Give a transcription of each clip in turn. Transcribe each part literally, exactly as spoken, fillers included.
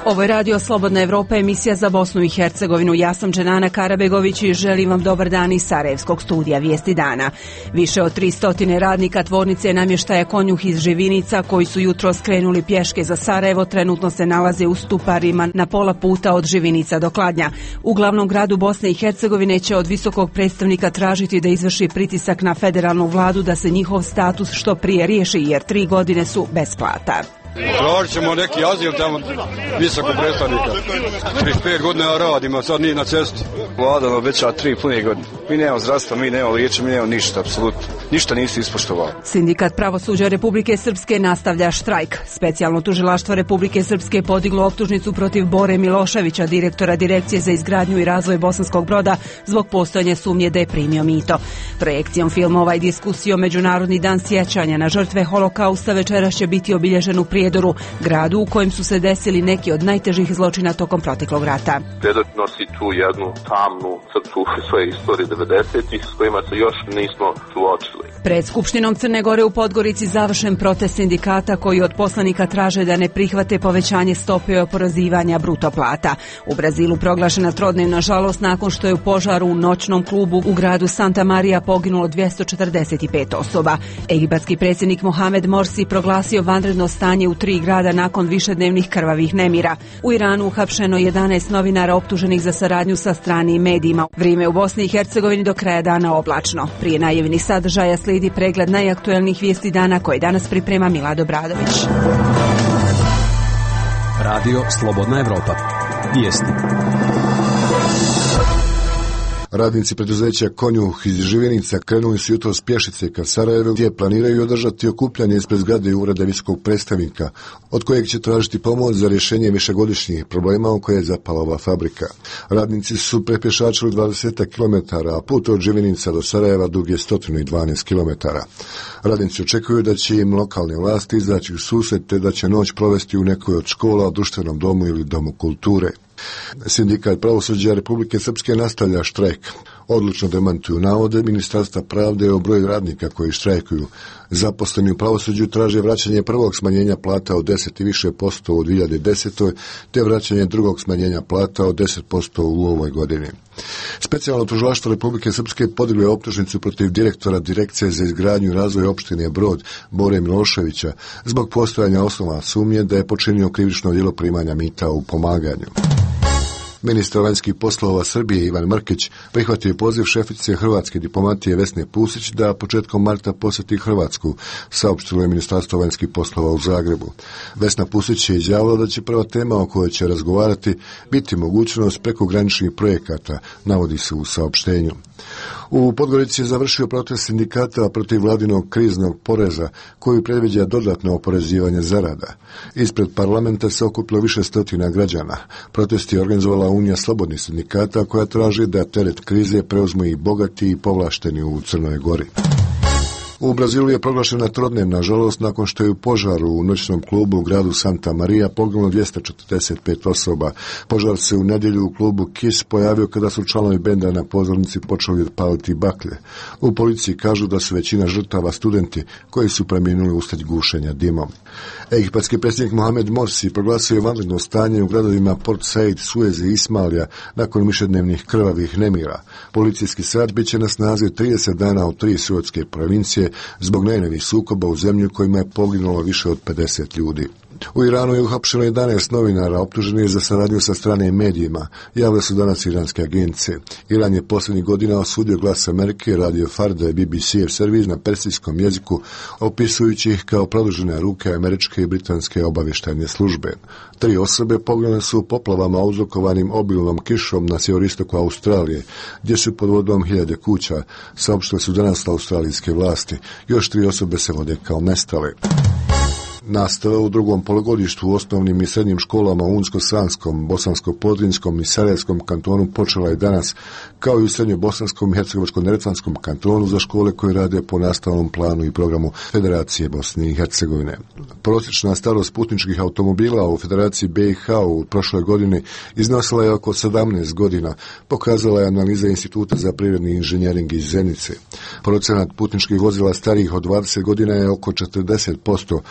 Ovo je Radio Slobodna Evropa, emisija za Bosnu i Hercegovinu. Ja sam Dženana Karabegović i želim vam dobar dan iz Sarajevskog studija Vijesti dana. Više od tristo radnika tvornice namještaja Konjuh iz Živinica, koji su jutro skrenuli pješke za Sarajevo, trenutno se nalaze u Stuparima na pola puta od Živinica do Kladnja. U glavnom gradu Bosne i Hercegovine će od visokog predstavnika tražiti da izvrši pritisak na federalnu vladu da se njihov status što prije riješi, jer tri godine su bez plata. Tražit ćemo neki azil tamo visoko predstavnika. trideset pet godina radimo, sad nije na cesti. Vlada nam obećava tri pune godine. Mi nemamo zdravstva, mi nemamo liječenja, mi nemamo ništa, apsolutno. Ništa nisu ispoštovali. Sindikat pravosuđa Republike Srpske nastavlja štrajk. Specijalno tužilaštvo Republike Srpske podiglo optužnicu protiv Bore Miloševića, direktora Direkcije za izgradnju i razvoj Bosanskog Broda, zbog postojanja sumnje da je primio mito. Projekcijom filmova i diskusijom Međunarodni dan sjećanja na žrtve holokausta večeras će biti obilježen u Prijedoru, gradu u kojem su se desili neki od najtežih zločina tokom proteklog rata. Prijedor nosi tu jednu tamnu crtu svoje istorije devedesetih s kojima se još nismo suočili. Pred Skupštinom Crne Gore u Podgorici završen protest sindikata koji od poslanika traže da ne prihvate povećanje stope oporezivanja bruto plata. U Brazilu proglašena trodnevna žalost nakon što je u požaru u noćnom klubu u gradu Santa Maria poginulo dvjesto četrdeset pet osoba. Egipatski predsjednik Mohamed Morsi proglasio vanredno stanje u tri grada nakon višednevnih krvavih nemira. U Iranu uhapšeno jedanaest novinara optuženih za saradnju sa stranim medijima. Vrijeme u Bosni i Hercegovini do kraja dana oblačno. Prije najavljenih sadržaja slijedi pregled najaktuelnijih vijesti dana koje danas priprema Milado Bradović. Radio Slobodna Evropa. Vijesti. Radnici preduzeća Konjuh iz Živinica krenuli su jutros pješice ka Sarajevu, gdje planiraju održati okupljanje ispred zgrade ureda visokog predstavnika, od kojeg će tražiti pomoć za rješenje višegodišnjih problema u koje je zapala ova fabrika. Radnici su prepješačili dvadeset kilometara, a put od Živinica do Sarajeva dug je sto dvanaest kilometara. Radnici očekuju da će im lokalne vlasti izaći u susret te da će noć provesti u nekoj od škola, društvenom domu ili domu kulture. Sindikat pravosuđa Republike Srpske nastavlja štrajk. Odlučno demantuju navode Ministarstva pravde o broju radnika koji štrajkuju. Zaposleni u pravosuđu traže vraćanje prvog smanjenja plata od deset i više posto u dvije hiljade desetoj te vraćanje drugog smanjenja plata od deset posto u ovoj godini. Specijalno tužilaštvo Republike Srpske podiglo je optužnicu protiv direktora Direkcije za izgradnju i razvoj opštine Brod Bore Miloševića zbog postojanja osnova sumnje da je počinio krivično djelo primanja mita u pomaganju. Ministar vanjskih poslova Srbije Ivan Mrkić prihvatio je poziv šefice hrvatske diplomatije Vesne Pusić da početkom marta posjeti Hrvatsku, saopštilo je Ministarstvo vanjskih poslova u Zagrebu. Vesna Pusić je izjavila da će prva tema o kojoj će razgovarati biti mogućnost prekograničnih projekata, navodi se u saopštenju. U Podgorici je završio protest sindikata protiv vladinog kriznog poreza koji predviđa dodatno oporezivanje zarada. Ispred parlamenta se okupilo više stotina građana. Protest je organizovala Unija slobodnih sindikata koja traži da teret krize preuzmu i bogati i povlašteni u Crnoj Gori. U Brazilu je proglašena trodnevna žalost nakon što je u požaru u noćnom klubu u gradu Santa Maria poginulo dvjesto četrdeset pet osoba. Požar se u nedjelju u klubu Kiss pojavio kada su članovi benda na pozornici počeli paliti baklje. U policiji kažu da su većina žrtava studenti koji su preminuli uslijed gušenja dimom. Egipatski predsjednik Mohamed Morsi proglasio je vanredno stanje u gradovima Port Said, Suez i Ismailija nakon višednevnih krvavih nemira. Policijski sat bit će na snazi trideset dana u tri suetske provincije zbog najnovijih sukoba u zemlji kojima je poginulo više od pedeset ljudi. U Iranu je uhapšeno jedanaest novinara optuženih za saradnju sa stranim medijima, javile su danas iranske agencije. Iran je posljednjih godina osudio Glas Amerike, Radio Farda i B B C servis na persijskom jeziku, opisujući ih kao produžene ruke američke i britanske obavještajne službe. Tri osobe poginule su u poplavama uzrokovanim obilnom kišom na sjeveristoku Australije, gdje su pod vodom hiljade kuća, saopštile su danas australijske vlasti. Još tri osobe se vode kao nestale. Nastava u drugom polugodištu u osnovnim i srednjim školama u Unsko-Sanskom, Bosansko-Podrinjskom i Sarajevskom kantonu počela je danas, kao i u Srednjobosanskom i Hercegovačko-neretvanskom kantonu za škole koje rade po nastavnom planu i programu Federacije Bosne i Hercegovine. Prosječna starost putničkih automobila u Federaciji B i H u prošloj godini iznosila je oko sedamnaest godina, pokazala je analiza Instituta za privredni inženjering iz Zenice. Procenat putničkih vozila starijih od dvadeset godina je oko četrdeset posto,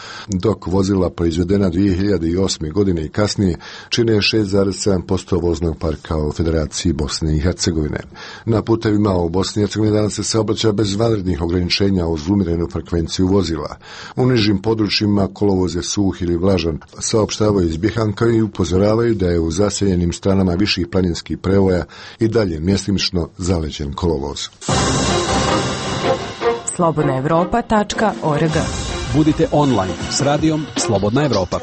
dok vozila proizvedena dvije hiljade osme. godine i kasnije čine šest zarez sedam posto voznog parka u Federaciji Bosne i Hercegovine. Na putevima u Bosni i Hercegovini danas se saobraća bez vanrednih ograničenja uz umjerenu frekvenciju vozila. U nižim područjima kolovoz je suh ili vlažan, saopštavaju iz Bihanka i upozoravaju da je u zaseljenim stranama viših planinskih prevoja i dalje mjestimično zaleđen kolovoz. slobodna evropa tačka org. Budite online s radijom Slobodna Evropa.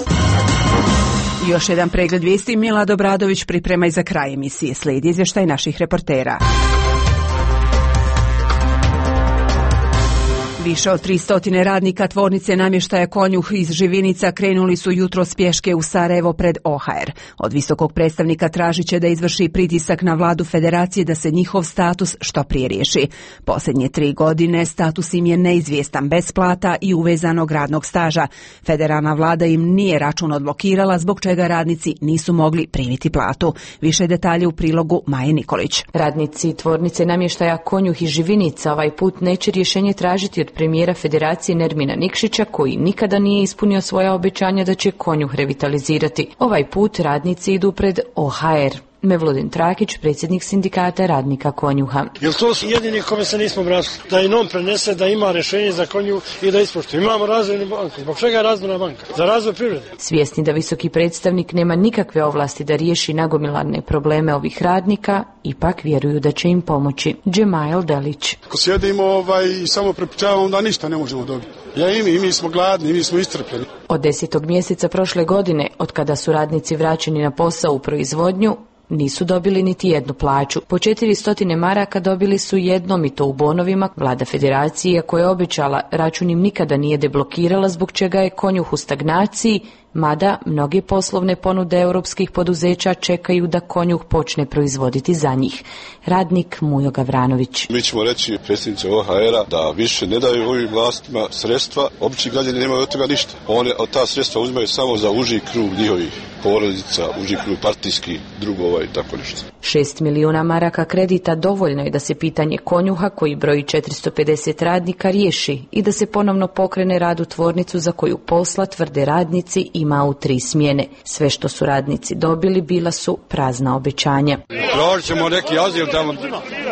Još jedan pregled vijesti. Milad Obradović priprema i za kraj emisije. Slijedi izvještaj naših reportera. Više od tristo radnika tvornice namještaja Konjuh iz Živinica krenuli su jutros pješke u Sarajevo pred O H R. Od visokog predstavnika tražit će da izvrši pritisak na vladu federacije da se njihov status što prije riješi. Posljednje tri godine status im je neizvjestan, bez plata i uvezanog radnog staža. Federalna vlada im nije račun odblokirala, zbog čega radnici nisu mogli primiti platu. Više detalje u prilogu Maje Nikolić. Radnici tvornice namještaja Konjuh iz Živinica ovaj put neće rješenje tražiti od premijera Federacije Nermina Nikšića, koji nikada nije ispunio svoja obećanja da će Konjuh revitalizirati. Ovaj put radnici idu pred O H R. Mevludin Trakić, predsjednik sindikata radnika Konjuha. Jer to su jedini kome se nismo bratili. Da i nom prenese da ima rješenje za Konjuh i da ispoštuje. Imamo razvojnu banku. Zbog čega je razvojna banka? Za razvoj privrede. Svjesni da visoki predstavnik nema nikakve ovlasti da riješi nagomilane probleme ovih radnika, ipak vjeruju da će im pomoći. Džemail Delić. Ako sjedimo ovaj, i samo prepričavamo, da ništa ne možemo dobiti. Ja i mi, i mi smo gladni, i mi smo istrpljeni. Od desetog mjeseca prošle godine, od kada su radnici vraćeni na posao u proizvodnju, nisu dobili niti jednu plaću. Po četiristo maraka dobili su jednom i to u bonovima. Vlada federacije, koja je obećala, račun im nikada nije deblokirala, zbog čega je Konjuh u stagnaciji, mada mnoge poslovne ponude europskih poduzeća čekaju da Konjuh počne proizvoditi za njih. Radnik Mujo Gavranović. Mi ćemo reći predsjednici O H R-a da više ne daju ovim vlastima sredstva, obični građani nemaju od toga ništa. One od ta sredstva uzimaju samo za uži krug njihovih porodica, uži krug partijskih drugova i tako nešto. Šest milijuna maraka kredita dovoljno je da se pitanje Konjuha, koji broji četiristo pedeset radnika, riješi i da se ponovno pokrene rad u tvornicu za koju posla, tvrde radnici, ima u tri smjene. Sve što su radnici dobili bila su prazna obećanja. Tražit ćemo neki azil tamo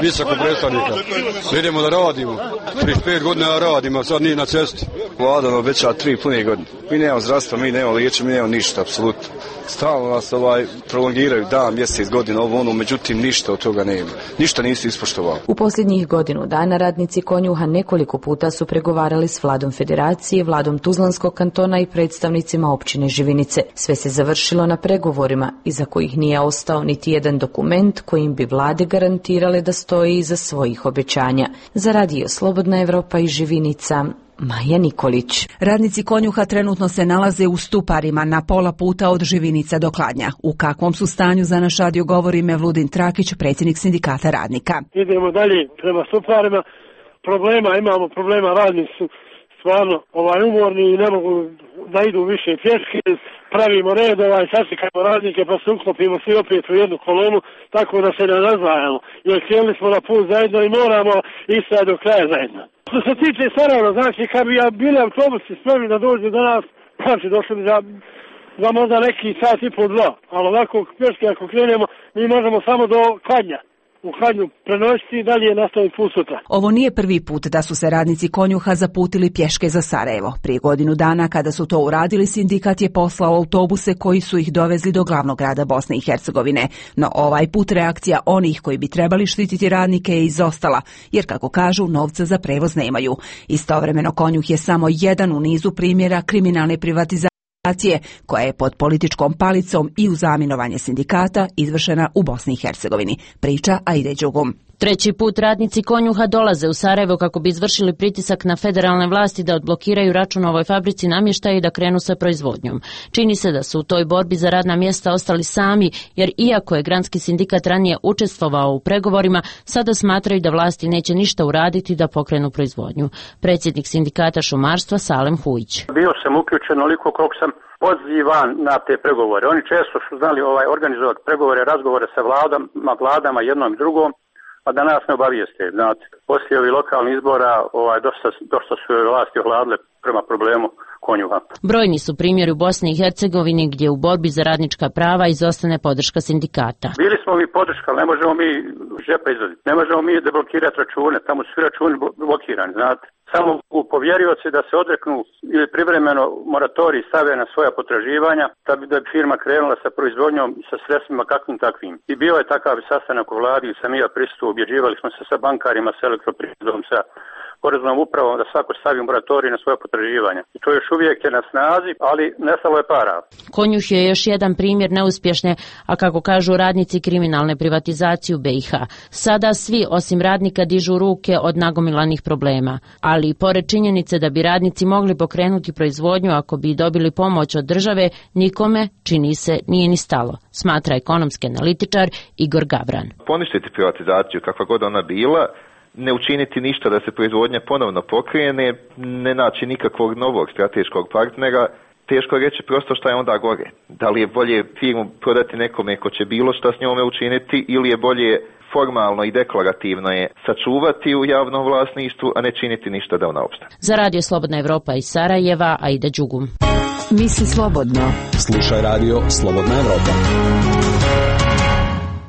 visoko predstavnika. Idemo da radimo. trideset pet godina radimo, sad nije na cesti. Vlada nam obećava tri pune godine. Mi nemamo zdravstva, mi nemamo liječenja, mi nemamo ništa, apsolutno. Stalno nas ovaj prolongiraju dan, mjesec, godina, ovo ono, međutim ništa od toga nema. Ništa nisu ispoštovali. U posljednjih godinu dana radnici Konjuha nekoliko puta su pregovarali s vladom federacije, vladom Tuzlanskog kantona i predstavnicima općine Živinice. Sve se završilo na pregovorima, iza kojih nije ostao niti jedan dokument kojim bi vlade garantirale da stoji iza svojih obećanja. Za radio Slobodna Evropa i Živinica, Maja Nikolić. Radnici Konjuha trenutno se nalaze u Stuparima na pola puta od Živinica do Kladnja. U kakvom su stanju, za naš radio govori Mevludin Trakić, predsjednik sindikata radnika. Idemo dalje prema Stuparima. Problema imamo, problema, radnici su stvarno ovaj, umorni i ne mogu da idu više pješke. Pravimo red, ovaj, sačekamo radnike pa se uklopimo svi opet u jednu kolonu, tako da se ne razdvajamo. Jer htjeli smo na put zajedno i moramo ići do kraja zajedno. Što se tiče Sarajeva, znači kad bi ja bili autobusi spremni da dođu do nas, znači došli bi za, za možda neki sat i po dva. Ali ovako pješke ako krenemo, mi možemo samo do Kladnja. U Kladnju prenositi i dalje nastaviti put sutra. Ovo nije prvi put da su se radnici Konjuha zaputili pješke za Sarajevo. Prije godinu dana kada su to uradili, sindikat je poslao autobuse koji su ih dovezli do glavnog grada Bosne i Hercegovine. No ovaj put reakcija onih koji bi trebali štititi radnike je izostala, jer kako kažu, novca za prevoz nemaju. Istovremeno Konjuh je samo jedan u nizu primjera kriminalne privatizacije koja je pod političkom palicom i uz zaminovanje sindikata izvršena u Bosni i Hercegovini. Priča Aide Đugum. Treći put radnici Konjuha dolaze u Sarajevo kako bi izvršili pritisak na federalne vlasti da odblokiraju račun ovoj fabrici namještaja i da krenu sa proizvodnjom. Čini se da su u toj borbi za radna mjesta ostali sami, jer iako je granski sindikat ranije učestvovao u pregovorima, sada smatraju da vlasti neće ništa uraditi da pokrenu proizvodnju. Predsjednik sindikata šumarstva Salem Hujić. Bio sam uključen onoliko koliko sam pozivan na te pregovore. Oni često su znali ovaj organizovati pregovore, razgovore sa vladama, vladama jednom i drugom, a da nas ne obavijeste. Znate, poslije ovih lokalnih izbora ovaj, dosta, dosta su vlasti ohladile prema problemu Konjuha. Brojni su primjeri u Bosni i Hercegovini gdje u borbi za radnička prava izostane podrška sindikata. Bili smo mi podrška, ali ne možemo mi žepa izvaditi. Ne možemo mi deblokirati račune, tamo su svi računi blokirani, znate. Samo u povjerioci da se odreknu ili privremeno moratorij stave na svoja potraživanja, da bi, da bi firma krenula sa proizvodnjom i sa sredstvima kakvim takvim. I bio je takav sastanak u vladi, sam i ja prisustuo, objeđivali smo se sa bankarima, sa elektroprivredom, sa poreznom upravom da svako stavi moratorij na svoje potraživanja. I to još uvijek je na snazi, ali nestalo je para. Konjuh je još jedan primjer neuspješne, a kako kažu radnici, kriminalne privatizacije u B i H. Sada svi osim radnika dižu ruke od nagomilanih problema, ali i pored činjenice da bi radnici mogli pokrenuti proizvodnju ako bi dobili pomoć od države, nikome, čini se, nije ni stalo, smatra ekonomski analitičar Igor Gavran. Poništiti privatizaciju kakva god ona bila, ne učiniti ništa da se proizvodnja ponovno pokrene, ne naći nikakvog novog strateškog partnera, teško reći prosto šta je onda gore. Da li je bolje firmu prodati nekome ko će bilo šta s njome učiniti ili je bolje formalno i deklarativno je sačuvati u javnom vlasništvu, a ne činiti ništa da ona opstane. Za Radio Slobodna Evropa iz Sarajeva, Aida Đugum. Misli slobodno. Slušaj Radio Slobodna Evropa.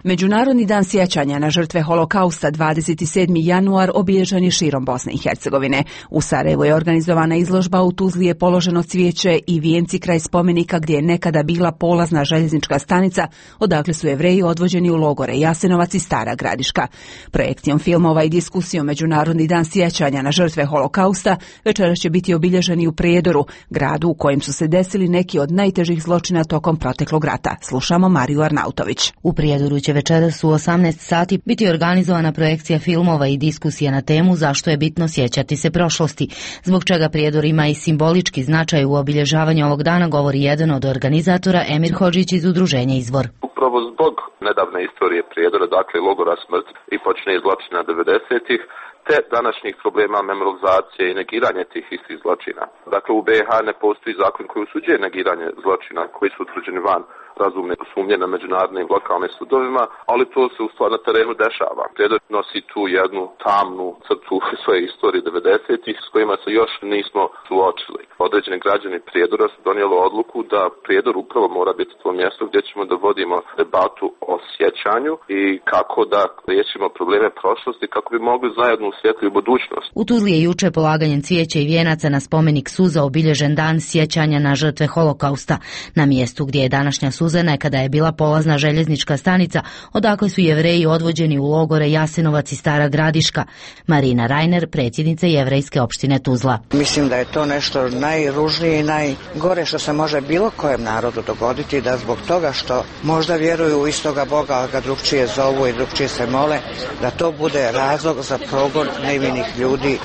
Međunarodni dan sjećanja na žrtve holokausta dvadeset sedmi januar obilježen je širom Bosne i Hercegovine. U Sarajevu je organizovana izložba, u Tuzli je položeno cvijeće i vijenci kraj spomenika gdje je nekada bila polazna željeznička stanica, odakle su Jevreji odvođeni u logore Jasenovac i Stara Gradiška. Projekcijom filmova i diskusijom Međunarodni dan sjećanja na žrtve holokausta večeras će biti obilježeni u Prijedoru, gradu u kojem su se desili neki od najtežih zločina tokom proteklog rata. Slušamo Mariju Arnautović. U Prijedoru će večeras u osamnaest sati biti organizovana projekcija filmova i diskusija na temu zašto je bitno sjećati se prošlosti, zbog čega Prijedor ima i simbolički značaj u obilježavanju ovog dana, govori jedan od organizatora, Emir Hodžić iz udruženja Izvor. Upravo zbog nedavne istorije Prijedora, dakle logora smrti i počne zločina devedesetih, te današnjih problema memorizacije i negiranje tih istih zločina. Dakle, u B i H ne postoji zakon koji osuđuje negiranje zločina koji su utvrđeni van razumne sumnje na međunarodnim lokalnim sudovima, ali to se u stvari na terenu dešava. Prijedor nosi tu jednu tamnu crtu svoje istorije devedesetih s kojima se još nismo suočili. Određeni građani Prijedora su donijeli odluku da Prijedor upravo mora biti to mjesto gdje ćemo da vodimo debatu o sjećanju i kako da riješimo probleme prošlosti, kako bi mogli zajedno u svjetliju budućnost. U Tuzli je juče polaganjem cvijeća i vijenaca na spomenik suza obilježen dan sjećanja na žrtve holokausta. Na mjestu gdje je današnja suza nekada je bila polazna željeznička stanica, odakle su Jevreji odvođeni u logore Jasenovac i Stara Gradiška. Marina Rajner, predsjednica Jevrejske opštine Tuzla. Mislim da je to nešto najružnije i najgore što se može bilo kojem narodu dogoditi, da zbog toga što možda vjeruju u istoga Boga, ali ga drugčije zovu i drugčije se mole, da to bude razlog za progon nevinih ljudi,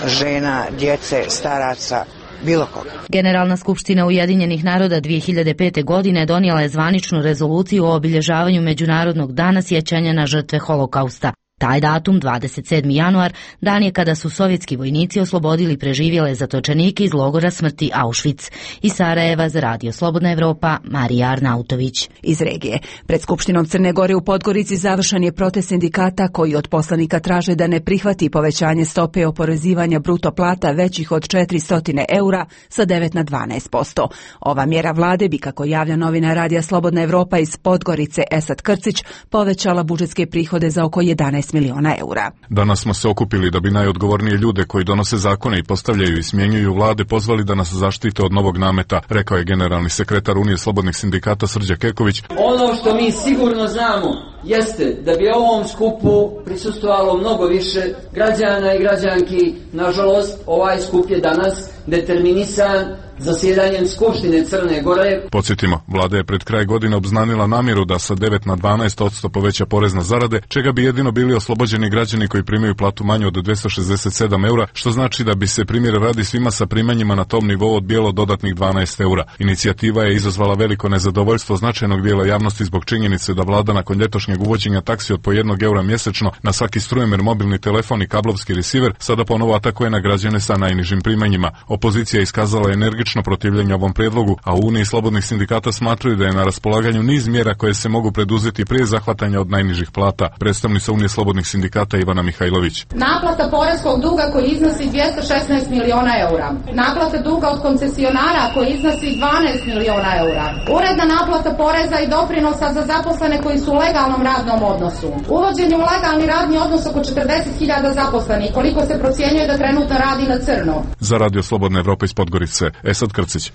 žena, djece, staraca, bilo koga. Generalna skupština Ujedinjenih naroda dvije hiljade pete. godine donijela je zvaničnu rezoluciju o obilježavanju Međunarodnog dana sjećanja na žrtve holokausta. Taj datum, dvadeset sedmi januar, dan je kada su sovjetski vojnici oslobodili preživjele zatočenike iz logora smrti Auschwitz. Iz Sarajeva za Radio Slobodna Evropa, Marija Arnautović. Iz regije. Pred Skupštinom Crne Gore u Podgorici završen je protest sindikata koji od poslanika traže da ne prihvati povećanje stope oporezivanja bruto plata većih od četiristo eura sa devet na dvanaest posto. Ova mjera vlade bi, kako javlja novina Radija Slobodna Evropa iz Podgorice Esad Krcić, povećala budžetske prihode za oko jedanaest miliona eura. Danas smo se okupili da bi najodgovornije ljude koji donose zakone i postavljaju i smjenjuju vlade pozvali da nas zaštite od novog nameta, rekao je generalni sekretar Unije slobodnih sindikata Srđan Keković. Ono što mi sigurno znamo jeste da bi ovom skupu prisustvovalo mnogo više građana i građanki. Nažalost, ovaj skup je danas determinisan zasjedanjem Skupštine Crne Gore. Podsjetimo, vlada je pred kraj godine obznanila namjeru da sa devet na dvanaest posto poveća porez na zarade, čega bi jedino bili oslobođeni građani koji primaju platu manju od dvjesto šezdeset sedam eura, što znači da bi se primjer radi svima sa primanjima na tom nivou odbijelo dodatnih dvanaest eura. Inicijativa je izazvala veliko nezadovoljstvo značajnog dijela javnosti zbog činjenice da vlada nakon ljetošnje prijašnjeg uvođenja taksi od po jednog eura mjesečno na svaki strujemer, mobilni telefon i kablovski receiver, sada ponovo atakuje na građane sa najnižim primanjima. Opozicija je iskazala energično protivljenje ovom prijedlogu, a u Uniji slobodnih sindikata smatraju da je na raspolaganju niz mjera koje se mogu preduzeti prije zahvatanja od najnižih plata. Predstavnica Unije slobodnih sindikata Ivana Mihajlović. Naplata poreskog duga koji iznosi dvjesto šesnaest miliona eura. Naplata duga od koncesionara koji iznosi dvanaest miliona eura. Uredna naplata poreza i doprinosa za zaposlene koji su u legalnom radnom odnosu. Uvođenje u legalni radni odnos oko četrdeset hiljada zaposlenih, koliko se procjenjuje da trenutno radi na crno. Za Radio Slobodna Evropa iz Podgorice, Esad Krcić.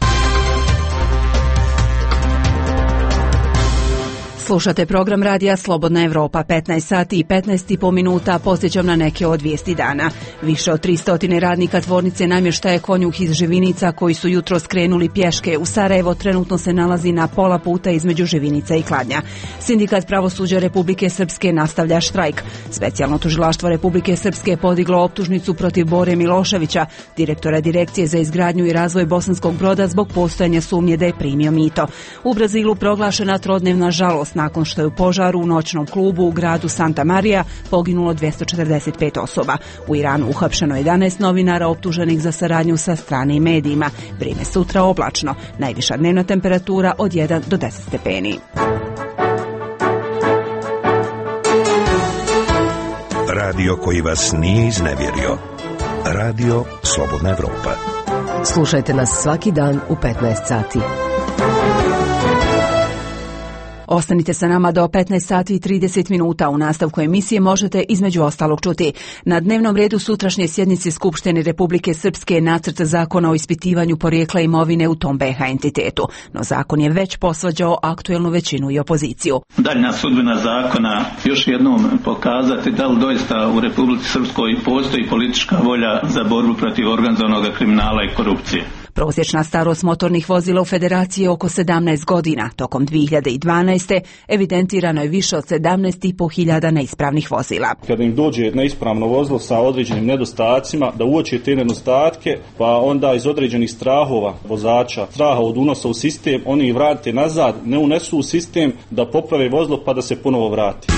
Slušate program radija Slobodna Evropa, petnaest sati i petnaest i po minuta, posjećam na neke od vijesti dana. Više od tristo radnika tvornice namještaja Konjuh iz Živinica koji su jutro skrenuli pješke u Sarajevo trenutno se nalazi na pola puta između Živinica i Kladnja. Sindikat pravosuđa Republike Srpske nastavlja štrajk. Specijalno tužilaštvo Republike Srpske podiglo optužnicu protiv Bore Miloševića, direktora Direkcije za izgradnju i razvoj Bosanskog Broda zbog postojanja sumnje da je primio mito. U Brazilu proglašena trodnevna žalost nakon što je u požaru u noćnom klubu u gradu Santa Maria poginulo dvjesto četrdeset pet osoba. U Iranu uhapšeno jedanaest novinara optuženih za saradnju sa stranim medijima. Vrijeme sutra oblačno. Najviša dnevna temperatura od jedan do deset stepeni. Radio koji vas nije iznevjerio. Radio Slobodna Evropa. Slušajte nas svaki dan u petnaest sati. Ostanite sa nama do petnaest sati i trideset minuta. U nastavku emisije možete između ostalog čuti. Na dnevnom redu sutrašnje sjednice Skupštine Republike Srpske nacrt zakona o ispitivanju porijekla imovine u tom be ha entitetu. No zakon je već posvađao aktuelnu većinu i opoziciju. Daljna sudbina zakona još jednom pokazati da li doista u Republici Srpskoj postoji politička volja za borbu protiv organizovanog kriminala i korupcije. Prosječna starost motornih vozila u Federaciji je oko sedamnaest godina. Tokom dvije hiljade dvanaeste. evidentirano je više od sedamnaest i po hiljada neispravnih vozila. Kada im dođe neispravno vozilo sa određenim nedostacima, da uoče te nedostatke, pa onda iz određenih strahova vozača, straha od unosa u sistem, oni ih vrate nazad, ne unesu u sistem da poprave vozilo pa da se ponovo vrati.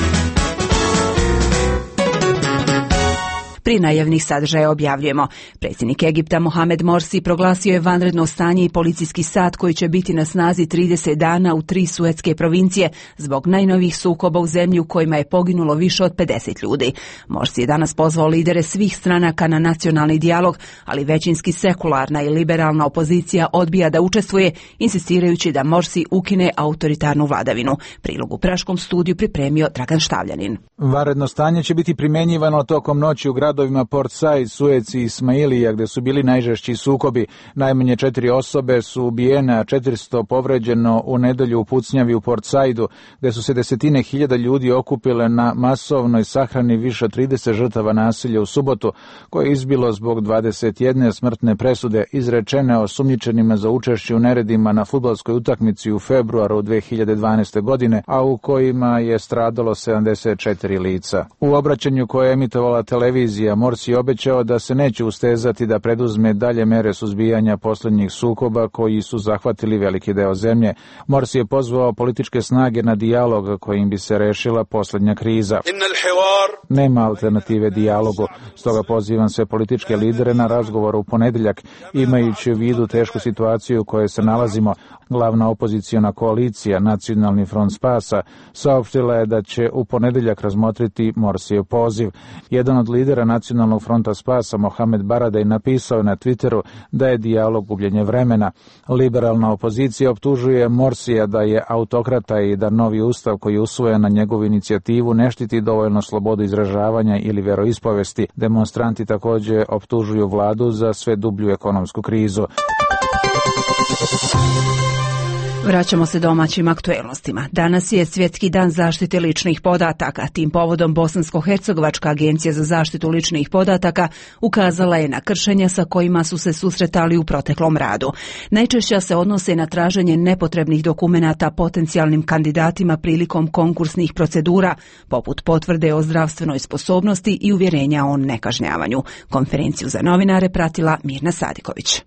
Pri najavnih sadržaja objavljujemo. Predsjednik Egipta Mohamed Morsi proglasio je vanredno stanje i policijski sat koji će biti na snazi trideset dana u tri suetske provincije zbog najnovijih sukoba u zemlji u kojima je poginulo više od pedeset ljudi. Morsi je danas pozvao lidere svih stranaka na nacionalni dijalog, ali većinski sekularna i liberalna opozicija odbija da učestvuje, insistirajući da Morsi ukine autoritarnu vladavinu. Prilog u Praškom studiju pripremio Dragan Štavljanin. Vanredno stanje će biti primjenjivano tokom noći u gradovima Port Said, Suez i Ismailija, gde su bili najžešći sukobi. Najmanje četiri osobe su ubijene, a četiristo povređeno u nedelju u pucnjavi u Port Saidu, gde su se desetine hiljada ljudi okupile na masovnoj sahrani više od trideset žrtava nasilja u subotu, koje je izbilo zbog dvadeset jedne smrtne presude izrečene osumnjičenima za učešće u neredima na fudbalskoj utakmici u februaru dve hiljade dvanaeste. godine, a u kojima je stradalo sedamdeset četiri lica. U obraćanju koje je emitovala televizija, Morsi je obećao da se neće ustezati da preduzme dalje mere suzbijanja posljednjih sukoba koji su zahvatili veliki deo zemlje. Morsi je pozvao političke snage na dijalog kojim bi se rešila posljednja kriza. Nema alternative dijalogu, stoga pozivam sve političke lidere na razgovor u ponedjeljak, imajući u vidu tešku situaciju u kojoj se nalazimo. Glavna opoziciona koalicija, Nacionalni front spasa, saopštila je da će u ponedjeljak razmotriti Morsijev poziv. Jedan od lidera Nacionalnog fronta spasa, Mohamed Baradej, napisao je na Twitteru da je dijalog gubljenje vremena. Liberalna opozicija optužuje Morsija da je autokrata i da novi ustav koji je usvojen na njegovu inicijativu ne štiti dovoljno slobodu izražavanja ili veroispovesti. Demonstranti također optužuju vladu za sve dublju ekonomsku krizu. Vraćamo se domaćim aktuelnostima. Danas je Svjetski dan zaštite ličnih podataka. Tim povodom Bosansko-hercegovačka agencija za zaštitu ličnih podataka ukazala je na kršenja sa kojima su se susretali u proteklom radu. Najčešća se odnose na traženje nepotrebnih dokumenata potencijalnim kandidatima prilikom konkursnih procedura, poput potvrde o zdravstvenoj sposobnosti i uvjerenja o nekažnjavanju. Konferenciju za novinare pratila Mirna Sadiković.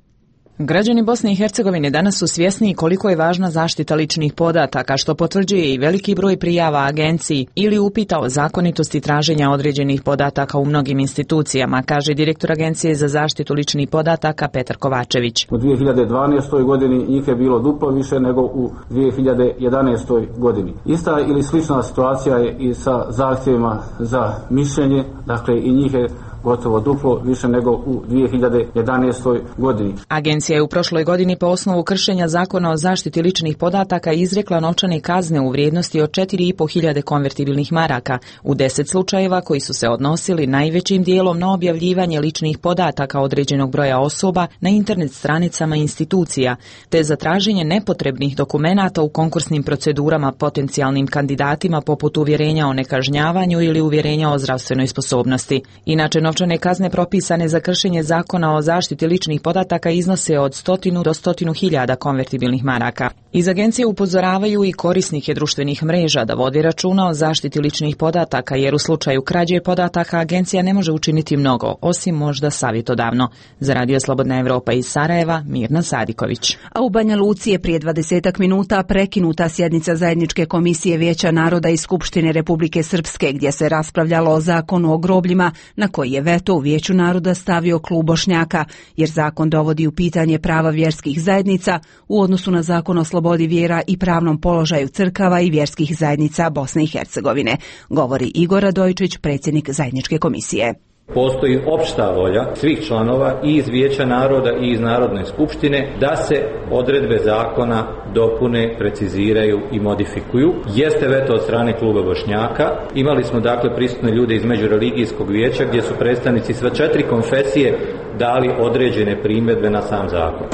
Građani Bosne i Hercegovine danas su svjesni koliko je važna zaštita ličnih podataka, što potvrđuje i veliki broj prijava agenciji ili upita o zakonitosti traženja određenih podataka u mnogim institucijama, kaže direktor Agencije za zaštitu ličnih podataka Petar Kovačević. U dvije hiljade dvanaestoj godini njih je bilo duplo više nego u dvije hiljade jedanaestoj godini. Ista ili slična situacija je i sa zahtjevima za mišljenje, dakle i njih je gotovo duplo više nego u dvije hiljade jedanaestoj godini. Agencija je u prošloj godini po osnovu kršenja zakona o zaštiti ličnih podataka izrekla novčane kazne u vrijednosti od četiri i po hiljade konvertibilnih maraka u deset slučajeva koji su se odnosili najvećim dijelom na objavljivanje ličnih podataka određenog broja osoba na internet stranicama institucija, te za traženje nepotrebnih dokumenata u konkursnim procedurama potencijalnim kandidatima poput uvjerenja o nekažnjavanju ili uvjerenja o zdravstvenoj sposobnosti. Inače, novčane kazne propisane za kršenje zakona o zaštiti ličnih podataka iznose od stotinu do stotinu hiljada konvertibilnih maraka. Iz agencije upozoravaju i korisnike društvenih mreža da vode računa o zaštiti ličnih podataka, jer u slučaju krađe podataka agencija ne može učiniti mnogo, osim možda savjetodavno. Za Radio Slobodna Evropa iz Sarajeva, Mirna Sadiković. A u Banja Luci je prije dvadesetak minuta prekinuta sjednica Zajedničke komisije Vijeća naroda i Skupštine Republike Srpske, gdje se raspravljalo o zakonu o grobljima, na koji je veto u Vijeću naroda stavio klub Bošnjaka, jer zakon dovodi u pitanje prava vjerskih zajednica u odnosu na zakon o slobodi vjera i pravnom položaju crkava i vjerskih zajednica Bosne i Hercegovine, govori Igor Radojčić, predsjednik Zajedničke komisije. Postoji opšta volja svih članova i iz Vijeća naroda i iz Narodne skupštine da se odredbe zakona dopune, preciziraju i modifikuju. Jeste veto od strane kluba Bošnjaka. Imali smo dakle prisutne ljude iz Međureligijskog vijeća gdje su predstavnici sve četiri konfesije dali određene primjedbe na sam zakon.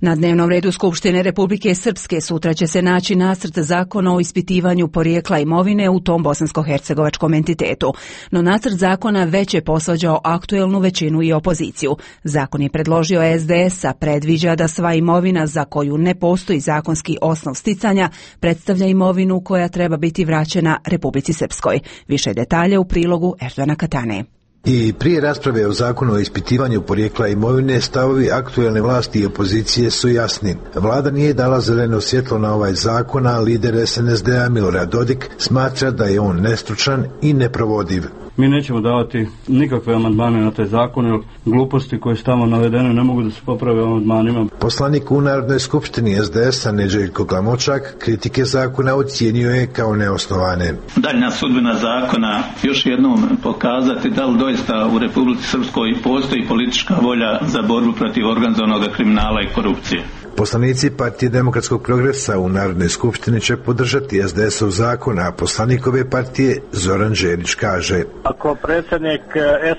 Na dnevnom redu Skupštine Republike Srpske sutra će se naći nacrt zakona o ispitivanju porijekla imovine u tom bosansko-hercegovačkom entitetu. No nacrt zakona već je posvađao aktuelnu većinu i opoziciju. Zakon je predložio S D S, a predviđa da sva imovina za koju ne postoji zakonski osnov sticanja predstavlja imovinu koja treba biti vraćena Republici Srpskoj. Više detalja u prilogu Erdana Katane. I prije rasprave o zakonu o ispitivanju porijekla imovine, stavovi aktuelne vlasti i opozicije su jasni. Vlada nije dala zeleno svjetlo na ovaj zakon, a lider S N S D-a Milorad Dodik smatra da je on nestručan i neprovodiv. Mi nećemo davati nikakve amandmane na taj zakon, jer gluposti koje su tamo navedene ne mogu da se poprave amandmanima. Poslanik u Narodnoj skupštini S D S-a Nedželjko Glamočak kritike zakona ocijenio je kao neosnovane. Daljna sudbina zakona još jednom pokazati da li doista u Republici Srpskoj postoji politička volja za borbu protiv organizovanog kriminala i korupcije. Poslanici Partije demokratskog progresa u Narodnoj skupštini će podržati S D S-ov zakon, a poslanikove partije Zoran Đerić kaže: Ako predsjednik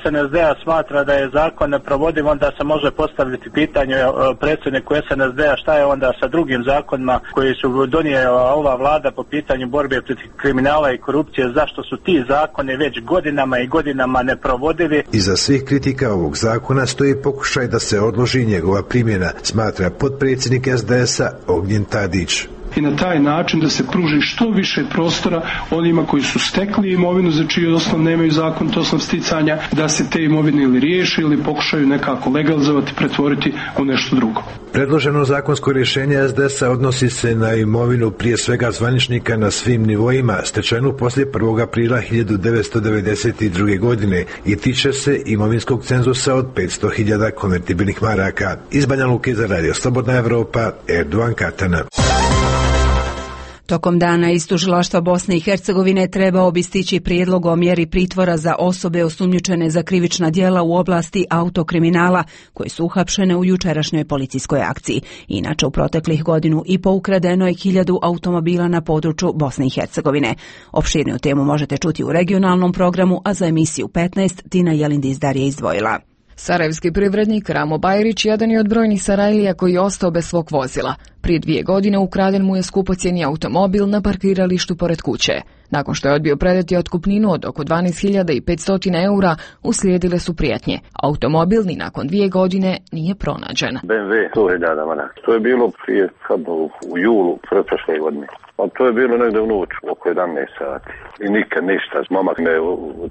S N S D-a smatra da je zakon neprovodiv, onda se može postaviti pitanje predsjedniku S N S D-a šta je onda sa drugim zakonima koji su donijela ova vlada po pitanju borbe protiv kriminala i korupcije, zašto su ti zakoni već godinama i godinama neprovodivi. Iza svih kritika ovog zakona stoji pokušaj da se odloži njegova primjena, smatra potpredsjednik S D S-a Ognjen Tadić. I na taj način da se pruži što više prostora onima koji su stekli imovinu za čiji osnov nemaju zakon, to osnov sticanja, da se te imovine ili riješi ili pokušaju nekako legalizovati, pretvoriti u nešto drugo. Predloženo zakonsko rješenje S D S-a odnosi se na imovinu prije svega zvaničnika na svim nivoima, stečenu poslije prvog aprila hiljadu devetsto devedeset druge. godine i tiče se imovinskog cenzusa od petsto hiljada konvertibilnih maraka. Iz Banja Luke za Radio Slobodna Evropa, Erdogan Katana. Tokom dana iz Tužilaštva Bosne i Hercegovine trebao bi stići prijedlog o mjeri pritvora za osobe osumnjičene za krivična djela u oblasti autokriminala koje su uhapšene u jučerašnjoj policijskoj akciji. Inače, u proteklih godinu i po ukradeno je hiljadu automobila na području Bosne i Hercegovine. Opširniju temu možete čuti u regionalnom programu, a za emisiju petnaest Tina Jelindizdar je izdvojila. Sarajevski privrednik Ramo Bajrić jedan je od brojnih Sarajlija koji je ostao bez svog vozila. Prije dvije godine ukraden mu je skupocjeni automobil na parkiralištu pored kuće. Nakon što je odbio predati otkupninu od oko dvanaest hiljada petsto eura, uslijedile su prijetnje. Automobil ni nakon dvije godine nije pronađen. B M W sto hiljada maraka. To je bilo prije u julu prošle godine. A to je bilo negdje u noć, oko jedanaest sati. I nikad ništa. Momak me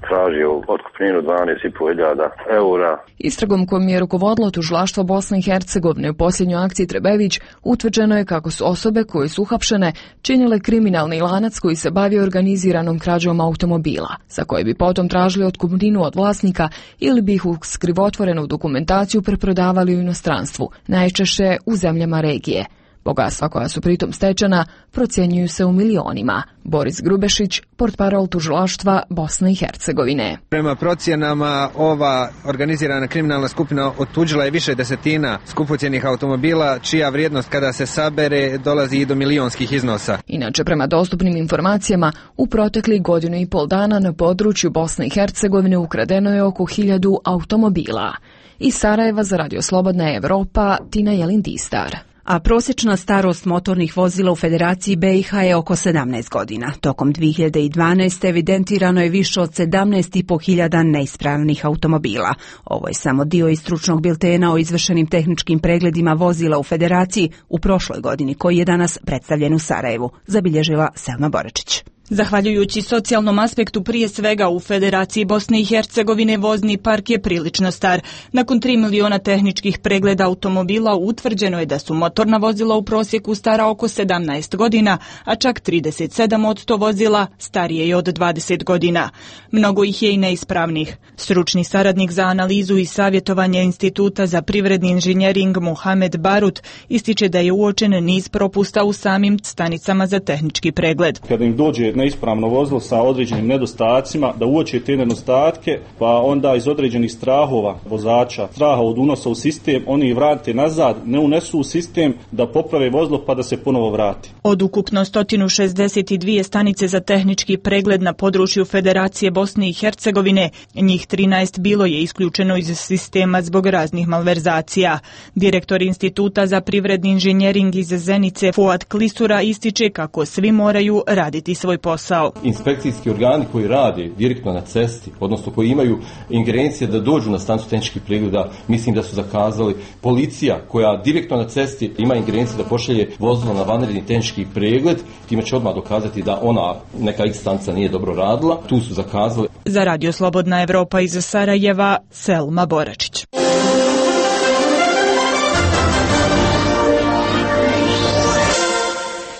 tražio otkupninu dvanaest i pol hiljada eura. Istragom kojom je rukovodilo tužilaštvo Bosne i Hercegovine u posljednjoj akciji Trebević, utvrđeno je kako su osobe koje su uhapšene činile kriminalni lanac koji se bavio organiziranom krađom automobila, za koje bi potom tražili otkupninu od vlasnika ili bi ih uz krivotvorenu dokumentaciju preprodavali u inostranstvu, najčešće u zemljama regije. Bogatstva koja su pritom stečena procjenjuju se u milionima. Boris Grubešić, portparol tužilaštva Bosne i Hercegovine. Prema procjenama, ova organizirana kriminalna skupina otuđila je više desetina skupocjenih automobila, čija vrijednost kada se sabere dolazi i do milionskih iznosa. Inače, prema dostupnim informacijama, u proteklih godinu i pol dana na području Bosne i Hercegovine ukradeno je oko hiljadu automobila. Iz Sarajeva za Radio Slobodna Evropa, Tina Jelin-Tistar. A prosječna starost motornih vozila u Federaciji be i ha je oko sedamnaest godina. Tokom dvije hiljade dvanaeste. evidentirano je više od sedamnaest i po hiljada neispravnih automobila. Ovo je samo dio iz stručnog biltena o izvršenim tehničkim pregledima vozila u Federaciji u prošloj godini, koji je danas predstavljen u Sarajevu, zabilježila Selma Boračić. Zahvaljujući socijalnom aspektu, prije svega u Federaciji Bosne i Hercegovine, vozni park je prilično star. Nakon tri miliona tehničkih pregleda automobila utvrđeno je da su motorna vozila u prosjeku stara oko sedamnaest godina, a čak trideset sedam posto vozila starije je od dvadeset godina. Mnogo ih je i neispravnih. Stručni saradnik za analizu i savjetovanje Instituta za privredni inženjering Mohamed Barut ističe da je uočen niz propusta u samim stanicama za tehnički pregled. Kada im dođe neispravno vozilo sa određenim nedostacima, da uoče te nedostatke, pa onda iz određenih strahova vozača, straha od unosa u sistem, oni vrate nazad, ne unesu u sistem da poprave vozilo pa da se ponovo vrati. Od ukupno sto šezdeset dvije stanice za tehnički pregled na području Federacije Bosne i Hercegovine, njih trinaest bilo je isključeno iz sistema zbog raznih malverzacija. Direktor Instituta za privredni inženjering iz Zenice Fuad Klisura ističe kako svi moraju raditi svoj posao. Inspekcijski organi koji rade direktno na cesti, odnosno koji imaju ingerencije da dođu na stanicu tehničkih pregleda, mislim da su zakazali. Policija koja direktno na cesti ima ingerencije da pošalje vozilo na vanredni tehnički pregled, time će odmah dokazati da ona neka X stanica nije dobro radila, tu su zakazali. Za Radio Slobodna Evropa iz Sarajeva, Selma Boračić.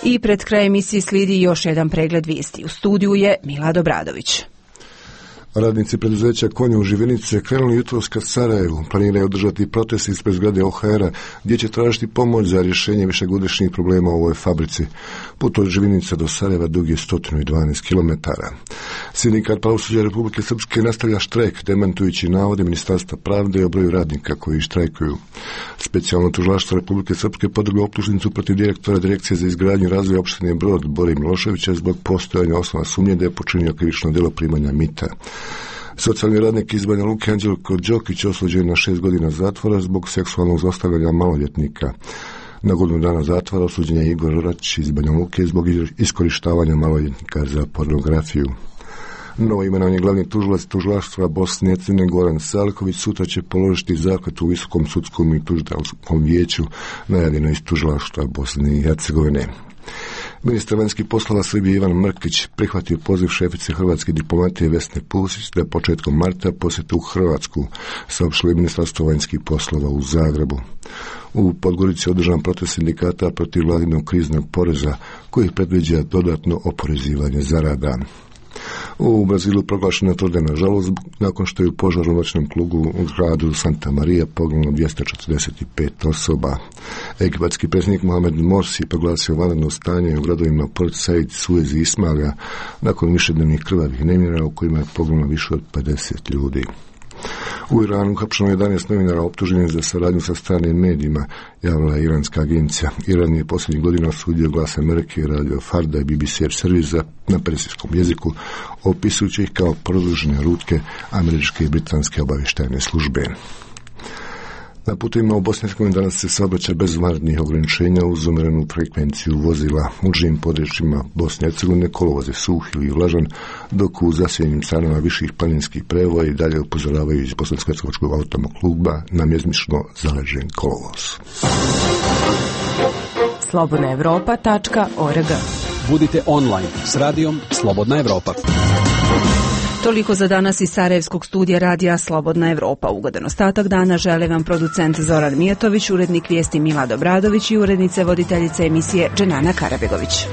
I pred kraj emisije slijedi još jedan pregled vijesti. U studiju je Milad Obradović. Radnici preduzeća Konje u Živinice krenuli jutros ka Sarajevu. Planiraju održati protest ispred zgrade O H R-a gdje će tražiti pomoć za rješenje višegodišnjih problema u ovoj fabrici. Put od Živinica do Sarajeva dug je sto dvanaest kilometara. Sindikat pravosuđa Republike Srpske nastavlja štrajk, demantujući navode Ministarstva pravde o broju radnika koji štrajkuju. Specijalno tužilaštvo Republike Srpske podrglo optužnicu protiv direktora Direkcije za izgradnju i razvoj opštine Brod Bore Miloševića zbog postojanja osnova sumnje da je počinio krivično djelo primanja mita. Socijalni radnik iz Banja Luke Anđelko Đokić osuđen na šest godina zatvora zbog seksualnog zlostavljanja maloljetnika. Na godinu dana zatvora osuđen je Igor Orač iz Banja Luke zbog iskorištavanja maloljetnika za pornografiju. Novo imenovani glavni tužilac tužilaštva Bosne i Hercegovine Goran Salković sutra će položiti zakletvu u Visokom sudskom i tužiteljskom vijeću, najavljeno iz tužilaštva Bosne i Hercegovine. Ministar vanjskih poslova Srbije Ivan Mrkić prihvatio poziv šefice hrvatske diplomatije Vesne Pusić da početkom marta posjeti u Hrvatsku, saopštilo je Ministarstvo vanjskih poslova u Zagrebu. U Podgorici je održan protest sindikata protiv vladinog kriznog poreza koji predviđa dodatno oporezivanje zarada. U Brazilu proglašena trodnevna žalost nakon što je u požaru u noćnom klubu u gradu Santa Maria poginulo dvjesto četrdeset pet osoba. Egipatski predsjednik Mohamed Morsi proglasio vanredno stanje u gradovima Port Said, Suez i Ismaila nakon višednevnih krvavih nemira u kojima je poginulo više od pedeset ljudi. U Iranu uhapšeno jedanaest novinara optuženih za saradnju sa stranim medijima, javila je iranska agencija. Iran je posljednjih godina osudio Glas Amerike, Radio Farda i B B C servis na persijskom jeziku, opisujući ih kao produžene rutke američke i britanske obavještajne službe. Na putovima u Bosni i Hercegovini danas se saobraća bez vanrednih ograničenja uz umjerenu frekvenciju vozila. U užim područjima Bosne i Hercegovine kolovoz je suh ili vlažan, dok u zasjedenim stranama viših planinskih prevoja i dalje upozoravaju iz Bosansko-hercegovačkog automokluba na mjezmično zaležen kolovoz. slobodna evropa tačka org Budite online s radijom Slobodna Evropa. Toliko za danas iz Sarajevskog studija radija Slobodna Evropa. Ugodan ostatak dana žele vam producent Zoran Mijatović, urednik vijesti Milad Obradović i urednice voditeljice emisije Dženana Karabegović.